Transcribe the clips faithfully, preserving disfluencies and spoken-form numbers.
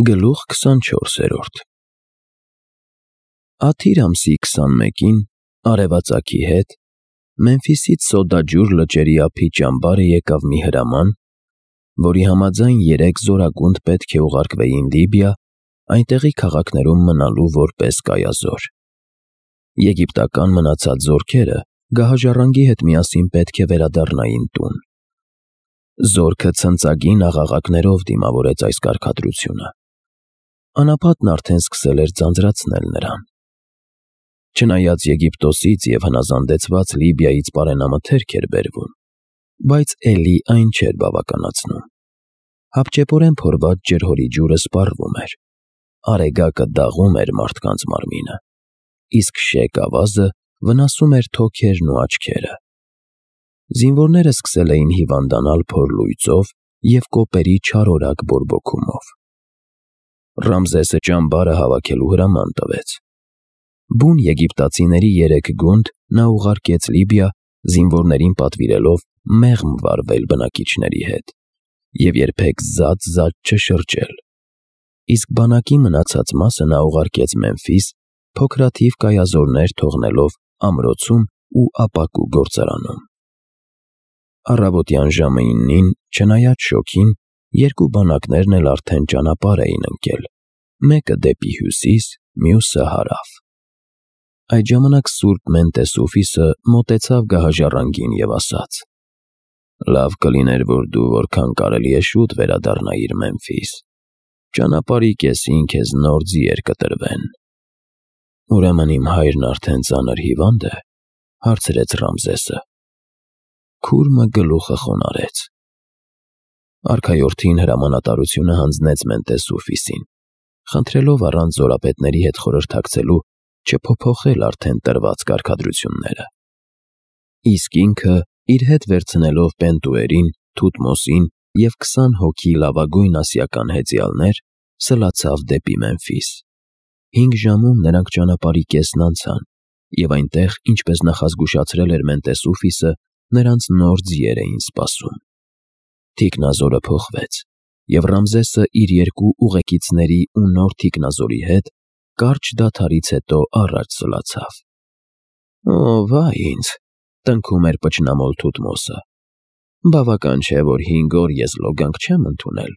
Գլուխ քսանչորսերորդ Աթիր ամսի քսանմեկին արևածագի հետ Մեմֆիսից սոդաջուր լճերի ափի ճամբարը եկավ մի հրաման, որի համաձայն երեք զորագունդ պետք է ուղարկվեին Լիբիա, այնտեղի քաղաքներում մնալու որպես կայազոր։ Եգիպտական մնացած զորքերը գահաժառանգի հետ միասին պետք է վերադառնային տուն։ Զորքը ցնծագին աղաղակներով դիմավորեց այս կարգադրությունը։ Անապատն արդեն սկսել էր ձանձրացնել նրան։ Չնայած Եգիպտոսից և հնազանդեցված Լիբիայից պարենամթերք էր բերվում, բայց էլի այն չէր բավականացնում։ Հապճեպորեն փորված ջրհորի ջուրը սպառվում էր, արեգակը դաղում էր մարդկանց մարմինը, իսկ շեկ ավազը վնասում էր թոքերն ու աչքերը։ Զինվորները սկսել էին հիվանդանալ փոր լույծով և կոպերի չարորակ բորբոքումով։ Ռամզեսը ճամբարը հավաքելու հրաման տվեց։ Բուն եգիպտացիների երեք գունդ նա ուղարկեց Լիբիա, զինվորներին պատվիրելով մեղմ վարվել բնակիչների հետ և երբեք զատ-զատ չշրջել։ Իսկ բանակի մնացած մասը նա ուղարկեց Մեմֆիս, փոքրաթիվ կայազորներ թողնելով ամրոցում ու ապակու գործարանում։ Առավոտյան ժամը իննին, չնայած շոգին, երկու բանակներն էլ արդեն ճանապարհ էին ընկել, մեկը դեպի հյուսիս, մյուսը հարավ։ Այդ ժամանակ սուրբ Մենտեսուֆիսը մոտեցավ գահաժառանգին և ասաց. «Լավ կլիներ, որ դու որքան կարելի է շուտ վերադառնայիր Մեմֆիս, ճանապարհի կեսին քեզ նոր ձիեր կտրվեն»։ «Ուրեմն իմ հայրն արդեն ծանր հիվա՞նդ է», հարցրեց Ռամզեսը։ Քուրմը գլուխը խոնարհեց։ Արքայորդին հրամանատարությունը հանձնեց Մենտեսուֆիսին, խնդրելով առանց զորապետների հետ խորհրդակցելու չփոփոխել արդեն տրված կարգադրությունները։ Իսկ ինքը, իր հետ վերցնելով Պենտուերին, Թութմոսին և քսան հոգի լավագույն ասիական հեծյալներ, սլացավ դեպի Մեմֆիս։ Հինգ ժամում նրանք ճանապարհի կեսն անցան, և այնտեղ, ինչպես նախազգուշացրել էր Մենտեսուֆիսը, նրանց նոր ձիեր էին սպասում։ Թիկնազորը փոխվեց, և Ռամզեսը իր երկու ուղեկիցների ու նոր թիկնազորի հետ կարճ դադարից հետո առաջ սլացավ։ «Օ, վայ ինձ», տնքում էր պճնամոլ Թութմոսը, «բավական չէ, որ հինգ օր ես լոգանք չեմ ընդունել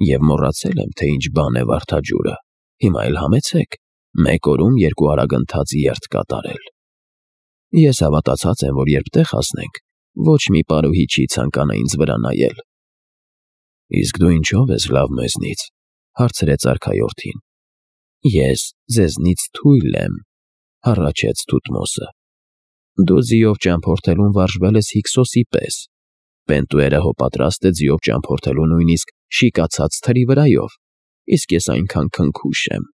և մոռացել եմ, թե ինչ բան է վարդաջուրը, հիմա էլ համեցեք մեկ օրում երկու արագընթաց երթ կատարել։ Ես հավատացած եմ, որ երբ տեղ հասնենք, ոչ մի պարուհի չի ցանկանա ինձ վրա նայել»։ «Իսկ դու ինչո՞վ ես լավ մեզնից», հարցրեց արքայորդին։ «Ես ձեզնից թույլ եմ», հառաչեց Թութմոսը։ «Դու ձիով ճամփորդելուն վարժվել ես Հիքսոսի պես, Պենտուերը հո պատրաստ է ձիով ճամփորդելու նույնիսկ շիկացած թրի վրայով, իսկ ես այնքան քնքուշ եմ»։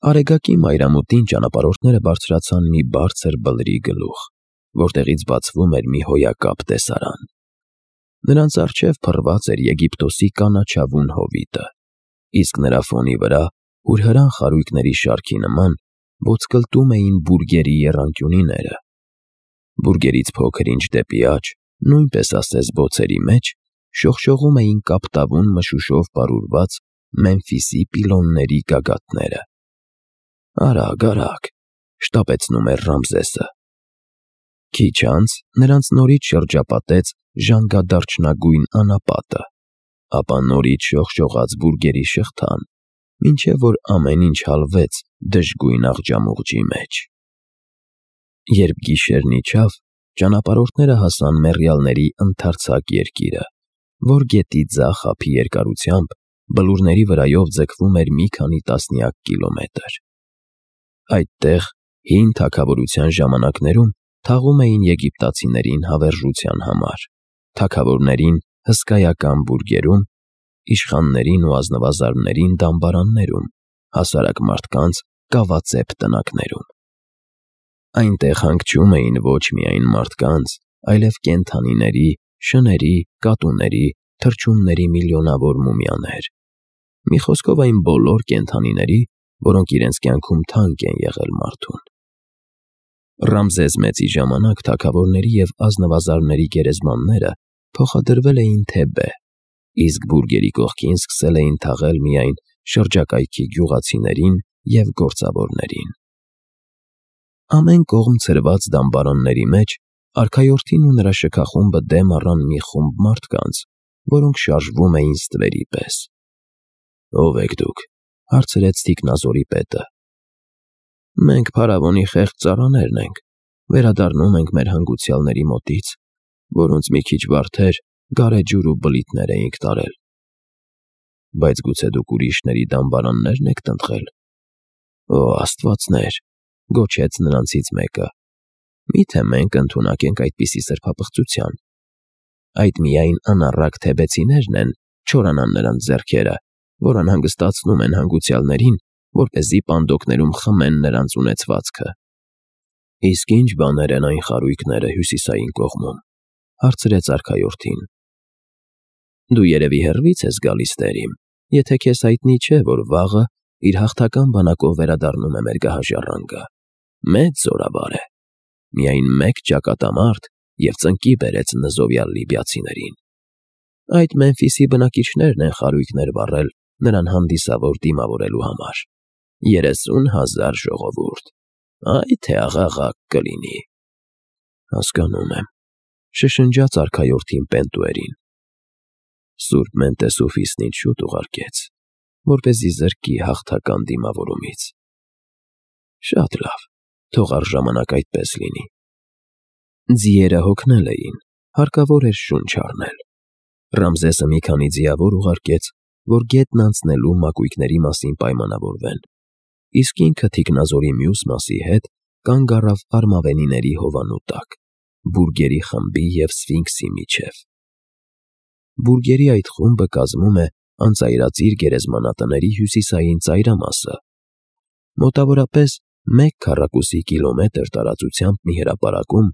Արեգակի մայրամուտին ճանապարհորդները բարձրացան մի բարձր բլրի գլուխ, որտեղից բացվում էր մի հոյակապ տեսարան։ Նրանց առջև փռված էր Եգիպտոսի կանաչավուն հովիտը, իսկ նրա ֆոնի վրա, հուրհրան խարույկների շարքի նման, ոսկլտում էին բուրգերի եռանկյունիները։ Բուրգերից փոքր-ինչ դեպի աջ, նույնպես ասես բոցերի մեջ, շողշողում էին կապտավուն մշուշով պարուրված Մեմֆիսի պիլոնների գագաթները։ «Արագ, արագ», շտապեցնում էր Ռամզեսը։ Քիչ անց նրանց նորից շրջապատեց ժանգադարչնագույն անապատը, ապա նորից շողշողաց բուրգերի շղթան, մինչև որ ամեն ինչ հալվեց դժգույն աղջամուղջի մեջ։ Երբ գիշերն իջավ, ճանապարհորդները հասան մեռյալների ընդարձակ երկիրը, որ գետի ձախ ափի երկարությամբ բլուրների վրայով ձգվում էր մի քանի տասնյակ կիլոմետր։ Այդտեղ, հին թագավորության ժամանակներում, թաղում էին եգիպտացիներին հավերժության համար, թագավորներին հսկայական բուրգերում, իշխաններին ու ազնվազարդներին դամբարաններում, հասարակ մարդկանց կավածեպ տնակներում։ Այնտեղ հանգչում էին ոչ միայն մարդկանց, այլև կենդանիների, շների, կատուների, թռչունների միլիոնավոր մումիաներ։ Մի խոսքով այն բոլոր կենդանիների, որոնք իրենց կյանքում թանկ են եղել մարդուն։ Ռամզես Մեծի ժամանակ թագավորների և ազնվազարդների գերեզմանները փոխադրվել էին Թեբե, իսկ բուրգերի կողքին սկսել էին թաղել միայն շրջակայքի գյուղացիներին և գործավորներին։ Ամեն կողմ ցրված դամբարանների մեջ արքայորդին ու նրա շքախումբը դեմ առան մի խումբ մարդկանց, որոնք շարժվում էին ստվերի պես։ «Ո՞վ եք դուք», հարցրեց թիկնազորի պետը։ «Մենք փարավոնի խեղճ ծառաներն ենք, վերադառնում ենք մեր հանգուցյալների մոտից, որոնց մի քիչ վարդեր, գարեջուր ու բլիթներ էինք տարել»։ «Բայց գուցե դուք ուրիշների դամբարաննե՞րն եք տնտղել»։ «Օ, աստվածներ», գոչեց նրանցից մեկը, «մի՞թե մենք ընդունակ ենք այդպիսի սրբապղծության։ Այդ միայն անառակ թեբեցիներն են չորանան նրանց ձեռքերը, որ անհանգստացնում են հանգուցյալներին, որպեսզի պանդոկներում խմեն նրանց ունեցվածքը»։ «Իսկ ի՞նչ բաներ են այն խարույկները հյուսիսային կողմում», հարցրեց արքայորդին։ «Դու երևի հեռվից ես գալիս, տեր իմ, եթե քեզ հայտնի չէ, որ վաղը իր հաղթական բանակով վերադառնում է մեր գահաժառանգը։ Մեծ զորավար է, միայն մեկ ճակատամարտ և ծնկի բերեց նզովյալ լիբիացիներին։ Այդ Մեմֆիսի բնակիչներն են խարույկներ վառել նրան հանդիսավոր դիմավորելու համար։ Երեսուն հազար ժողովուրդ, այ թե աղաղակ կլինի»։ «Հասկանում եմ», շշնջաց արքայորդին Պենտուերին։ «Սուրբ Մենտեսուֆիսն ինձ շուտ ուղարկեց, որպեսզի զրկի հաղթական դիմավորումից»։ «Շատ լավ, թող առժամանակ այդպես լինի»։ Ձիերը հոգնել էին, հարկավոր էր շունչ առնել։ Ռամզեսը մի քանի ձիավոր ուղարկեց, որ գետն անցնելու մակույկների մասին պայմանավորվեն, իսկ ինքը թիկնազորի մյուս մասի հետ կանգ առավ արմավենիների հովանու տակ, բուրգերի խմբի և Սֆինքսի միջև։ Բուրգերի այդ խումբը կազմում է անծայրածիր գերեզմանատների հյուսիսային ծայրամասը։ Մոտավորապես մեկ քառակուսի կիլոմետր տարածությամբ մի հրապարակում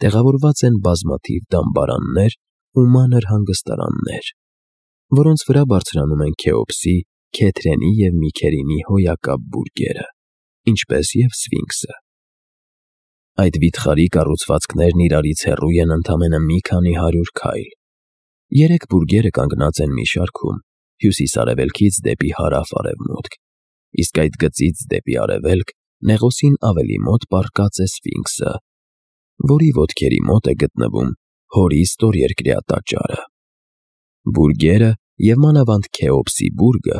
տեղավորված են բազմաթիվ դամբարաններ ու մանր հանգստարաններ, որոնց վրա բարձրանում են Քեոպսի, Քեթրենի և Միքերինի հոյակապ բուրգերը, ինչպես և Սֆինքսը։ Այդ վիթխարի կառուցվածքներն իրարից հեռու են ընդամենը մի քանի հարյուր քայլ։ Երեք բուրգերը կանգնած են մի շարքում, հյուսիս֊արևելքից դեպի հարավ֊արևմուտք, իսկ այդ գծից դեպի արևելք նեղոսին ավելի մոտ պառկած է Սֆինքսը, որի ոտքերի մոտ է գտնվում Հորի ստորերկրյա տաճարը։ Բուրգերը և մանավանդ Քեոպսի բուրգը,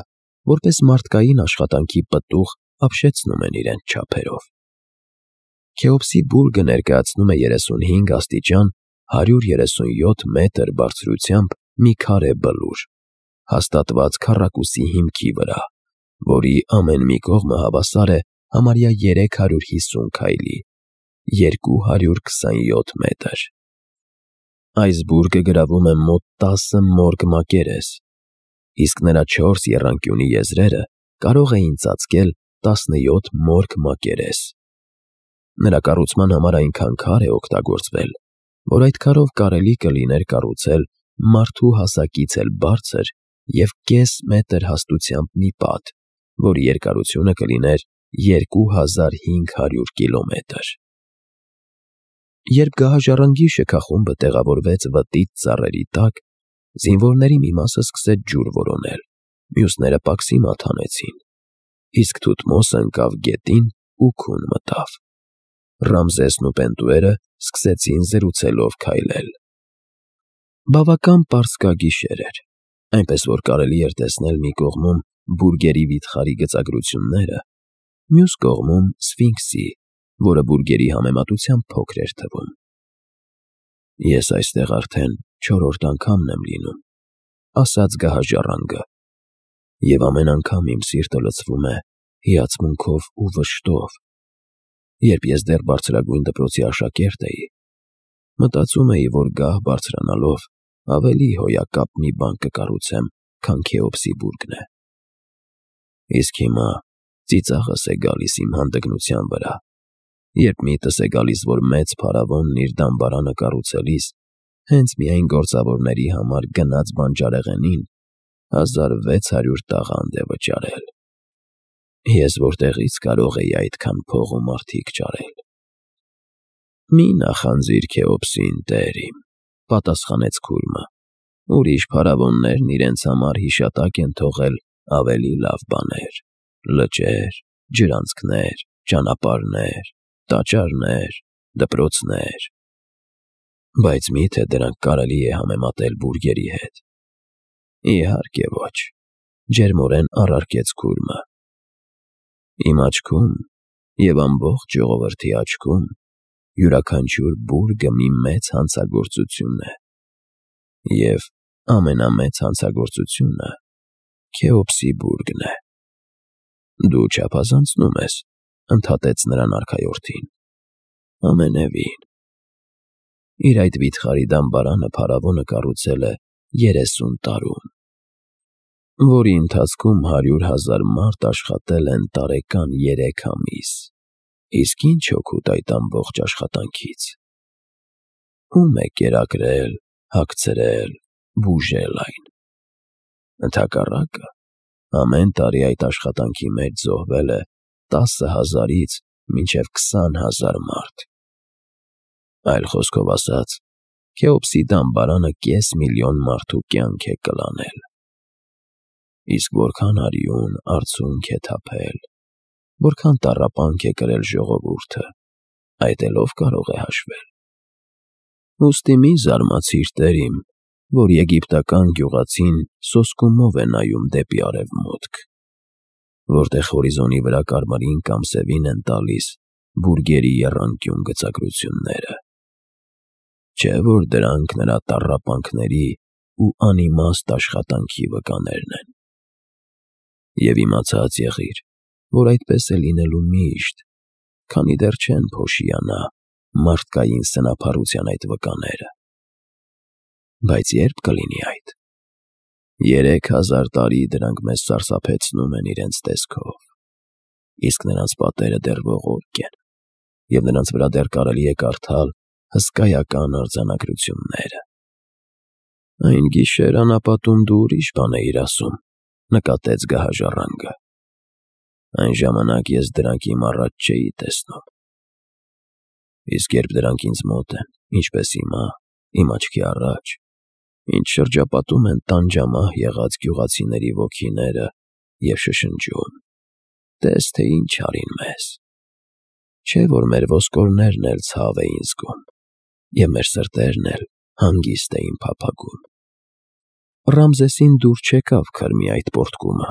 որպես մարդկային աշխատանքի պտուղ, ապշեցնում են իրենց չափերով։ Քեոպսի բուրգը ներկայացնում է երեսունհինգ աստիճան հարյուր երեսունյոթ մետր բարձրությամբ մի քարե բլուր, հաստատված քառակուսի հիմքի վրա, որի ամեն մի կողմը հավասար է համարյա երեք հարյուր հիսուն քայլի, երկու հարյուր քսանյոթ մետր։ Այս բուրգը գրավում է մոտ տասը մորգ մակերես, իսկ նրա չորս եռանկյունի եզրերը կարող էին ծածկել տասնյոթ մորգ մակերես։ Նրա կառուցման համար այնքան քար է օգտագործվել, որ այդ քարով կարելի կլիներ կառուցել մարդու հասակից էլ բարձր և կես մետր հաստությամբ մի պատ, որի երկարությունը կլիներ երկու հազար հինգ հարյուր կիլոմետր։ Երբ գահաժառանգի շքախումբը տեղավորվեց վտիտ ծառերի տակ, զինվորների մի մասը սկսեց ջուր որոնել, մյուսները պաքսիմատ հանեցին, իսկ Թութմոսը ընկավ գետին ու քուն մտավ։ Ռամզեսն ու Պենտուերը սկսեցին զրուցելով քայլել։ Բավական պարսկագիշեր էր, այնպես որ կարելի էր տեսնել մի կողմում բուրգերի վիթխարի գծագրությունները, մյուս կողմում Սֆինքսի, որը բուրգերի համեմատությամբ փոքր էր թվում։ «Ես այստեղ արդեն չորրորդ անգամն եմ լինում», ասաց գահաժառանգը, «և ամեն անգամ իմ սիրտը լցվում է հիացմունքով ու վշտով։ Երբ ես դեռ բարձրագույն դպրոցի աշակերտ էի, մտածում էի, որ գահ բարձրանալով ավելի հոյակապ մի բան կկառուցեմ, քան Քեոպսի բուրգն է։ Իսկ հիմա ծիծաղս է գալիս իմ հանդգնության վրա, երբ միտս է գալիս, որ մեծ փարավոնն իր դամբարանը կառուցելիս հենց միայն գործավորների համար գնած բանջարեղենին հազար վեց հարյուր տաղանդ է վճարել։ Ես որտեղի՞ց կարող էի այդքան փող ու մարդիկ ճարել»։ «Մի նախանձիր Քեոպսին, տեր իմ», պատասխանեց քուրմը, Ուրիշ փարավոններն իրենց համար հիշատակ են թողել ավելի լավ բաներ. լճեր, ջրանցքներ, ճանապարհներ, տաճարներ, դպրոցներ։ Բայց մի՞թե դրանք կարելի է համեմատել բուրգերի հետ։ Իհարկե ոչ, ջերմորեն առարկեց քուրմը։ Իմ աչքում և ամբողջ ժողովրդի աչքում յուրաքանչյուր բուրգը մի մեծ հանցագործություն է, և ամենամեծ հանցագործությունը Քեոպսի բուրգն է։ Դու չափազանցնում ես, ընդհատեց նրան արքայորդին։ Ամենևին։ Իր այդ վիթխարի դամբարանը փարավոնը կառուցել է երեսուն տարում, որի ընթացքում հարյուր հազար մարդ աշխատել են տարեկան երեք ամիս, իսկ ի՞նչ օգուտ այդ ամբողջ աշխատանքից։ Ո՞ւմ է կերակրել, հագցրել, բուժել այն։ Ընդհակառակը, ամեն տարի այդ աշխատանքի մեջ զոհվել է տասը հազարից մինչև քսան հազար մարդ։ Այլ խոսքով ասած, Քեոպսի դամբարանը կես միլիոն մարդու կյանք է կլանել։ Իսկ որքան արյուն, արցունք է թափել, որքան տառապանք է կրել ժողովուրդը, այդ էլ ով կարող է հաշվել։ Ուստի մի զարմացիր, տեր իմ, որ եգիպտական գյուղացին սոսկումով է նայում դեպի արևմուտք, որտեղ հորիզոնի վրա կարմիրին կամ սևին են տալիս բուրգերի եռանկյուն գծագրությունները։ Չէ՞ որ դրանք նրա տառապանքների ու անիմաստ աշխատանքի վկաներն են։ Եվ իմացած եղիր, որ այդպես է լինելու միշտ, քանի դեռ չեն փոշիանա մարդկային սնափառության այդ վկաները։ Բայց ե՞րբ կլինի այդ։ Երեք հազար տարի դրանք մեզ սարսափեցնում են իրենց տեսքով, իսկ նրանց պատերը դեռ ողորկ են, և նրանց վրա դեռ կարելի է կարդալ հսկայական արձանագրությունները։ Այն գիշեր անապատում դու ուրիշ բան էիր ասում, նկատեց գահաժառանգը։ Այն ժամանակ ես դրանք իմ առաջ չէի տեսնում։ Իսկ երբ դրանք ինձ մոտ են, ինչպես հիմա, իմ աչքի առաջ, ինձ շրջապատում են տանջամահ եղած գյուղացիների ոգիները և շշնջում. տես թե ինչ արին մեզ։ Չէ՞ որ մեր ոսկորներն էլ ցավ էին զգում, և մեր սրտերն էլ հանգիստ էին փափագում։ Ռամզեսին դուր չեկավ քրմի այդ պոռթկումը։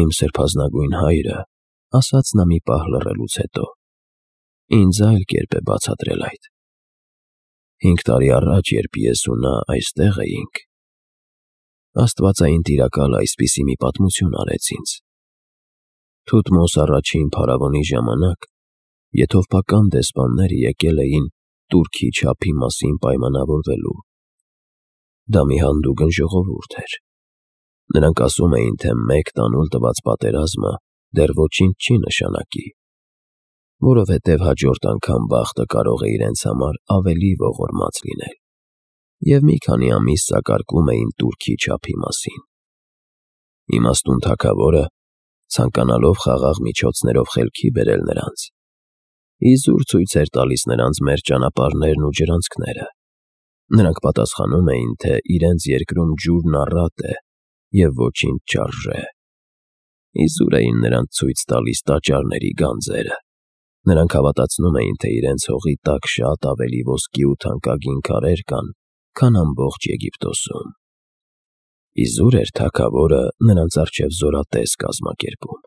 Իմ սրբազնագույն հայրը, ասաց նա մի պահ լռելուց հետո, ինձ այլ կերպ է բացատրել այդ։ Հինգ տարի առաջ, երբ ես ու նա այստեղ էինք, աստվածային տիրակալը այսպիսի մի պատմություն արեց ինձ. Թութմոս առաջին փարավոնի ժամանակ եթովպական դեսպանները եկել էին Տուրքի չափի մասին պայմանավորվելու։ Դա մի հանդուգն ժողովուրդ էր։ Նրանք ասում էին, թե մեկ տանուլ տված պատերազմը դեռ ոչինչ չի նշանակի, որովհետև հաջորդ անգամ բախտը կարող է իրենց համար ավելի ողորմած լինել, և մի քանի ամիս սակարկում էին Տուրքի չափի մասին։ Իմաստուն թագավորը, ցանկանալով խաղաղ միջոցներով խելքի բերել նրանց, իզուր ցույց էր տալիս նրանց մեր ճանապարհներն ու ջրանցքները։ Նրանք պատասխանում էին, թե իրենց երկրում ջուրն առատ է և ոչինչ չարժե։ Իզուր էին նրանց ցույց տալիս տաճարների գանձերը։ Նրանք հավատացնում էին, թե իրենց հողի տակ շատ ավելի ոսկի ու թանկագին քարեր կան, քան ամբողջ Եգիպտոսում։ Իզուր էր թագավորը նրանց առջև զորատես կազմակերպում։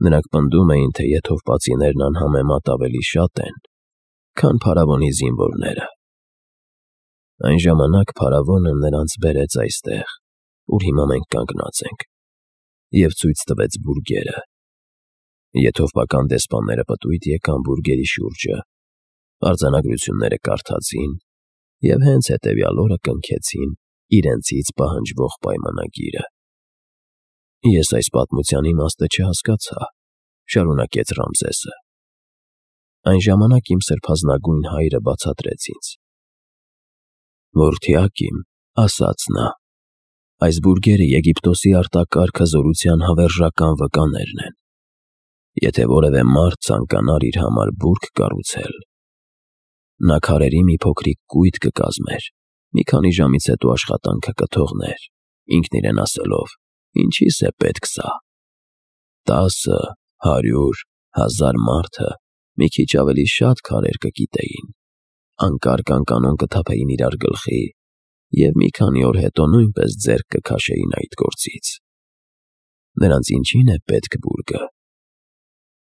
Նրանք պնդում էին, թե եթովպացիներն անհամեմատ ավելի շատ են, քան փարավոնի զինվորները։ Այն ժամանակ փարավոնը նրանց բերեց այստեղ, ուր հիմա մենք կանգնած ենք, և ցույց տվեց բուրգերը։ Եթովպական դեսպանները պտույտ եկան բուրգերի շուրջը, արձանագրությունները կարդացին և հենց հետևյալ օրը կնքեցին իրենցից պահանջվող պայմանագիրը։ Ես այս պատմության իմաստը չհասկացա, շարունակեց Ռամզեսը։ Այն ժամանակ իմ սրբազնագույն հայրը բացատրեց ինձ. Որդյակ իմ, ասաց նա, այս բուրգերը Եգիպտոսի արտակարգ հզորության հավերժական վկաներն են։ Եթե որևէ մարդ ցանկանար իր համար բուրգ կառուցել, նա քարերի մի փոքրիկ կույտ կկազմեր մի քանի ժամից հետո աշխատանքը կթողներ, ինքն իրեն ասելով. «Ինչի՞ս է պետք սա»։ Տասը, հարյուր, հազար մարդը մի քիչ ավելի շատ քարեր կկիտեին, անկարգ անկանոն կթափեին իրար գլխի և մի քանի օր հետո նույնպես ձեռք կքաշեին այդ գործից։ Նրանց ինչի՞ն է պետք բուրգը։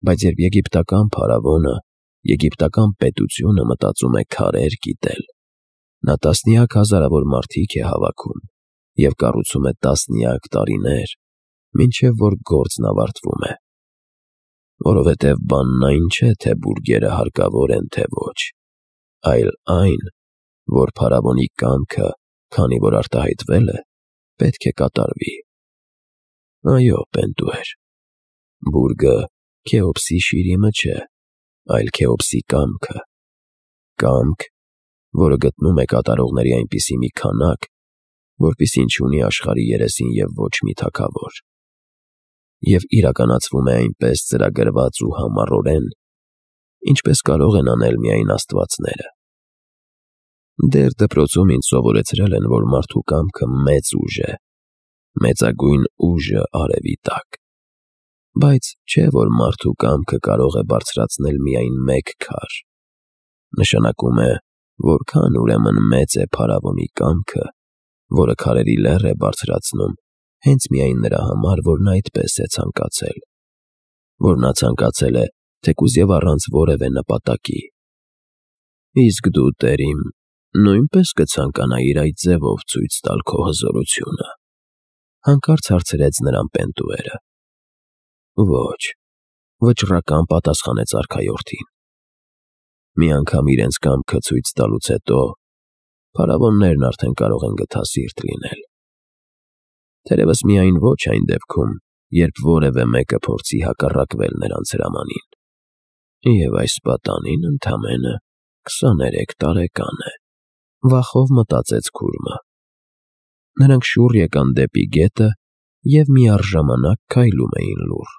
Բայց երբ եգիպտական փարավոնը, եգիպտական պետությունը մտածում է քարեր կիտել, նա տասնյակ հազարավոր մարդիկ է հավաքում և կառուցում է տասնյակ տարիներ, մինչև որ գործն ավարտվում է։ Որովհետև բանն այն չէ, թե բուրգերը հարկավոր են, թե ոչ, այլ այն, որ փարավոնի կամքը, քանի որ արտահայտվել է, պետք է կատարվի։ Այո, Պենտուեր, բուրգը Քեոպսի շիրիմը չէ, այլ Քեոպսի կամքը, կամք, որը գտնում է կատարողների այնպիսի մի քանակ, որպիսին չունի աշխարհի երեսին և ոչ մի թագավոր, և իրականացվում է այնպես ծրագրված ու համառորեն, ինչպես կարող են անել միայն աստվածները։ Դեռ դպրոցում ինձ սովորեցրել են, որ մարդու կամքը մեծ ուժ է, մեծագույն ուժը արևի տակ, բայց չէ, որ մարդու կամքը կարող է բարձրացնել միայն մեկ քար։ Նշանակում է, որքան ուրեմն մեծ է փարավոնի կամքը, որը քարերի լեռ է բարձրացնում հենց միայն նրա համար, որ նա այդպես է ցանկացել, որ նա ցանկացել է թեկուզ և առանց որևէ նպատակի։ Իսկ դու, տեր իմ, նույնպե՞ս կցանկանայիր այդ ձևով ցույց տալ քո հզորությունը, հանկարծ հարցրեց նրան Պենտուերը։ Ոչ, վճռական պատասխանեց արքայորդին։ Մի անգամ իրենց կամքը ցույց տալուց հետո փարավոններն արդեն կարող են գթասիրտ լինել։ Թերևս միայն ոչ այն դեպքում, երբ որևէ մեկը փորձի հակառակվել նրանց հրամանին։ Եվ այս պատանին ընդամենը քսաներեք տարեկան է, վախով մտածեց քուրմը։ Նրանք շուռ եկան դեպի գետը և միառժամանակ քայլում էին լուռ։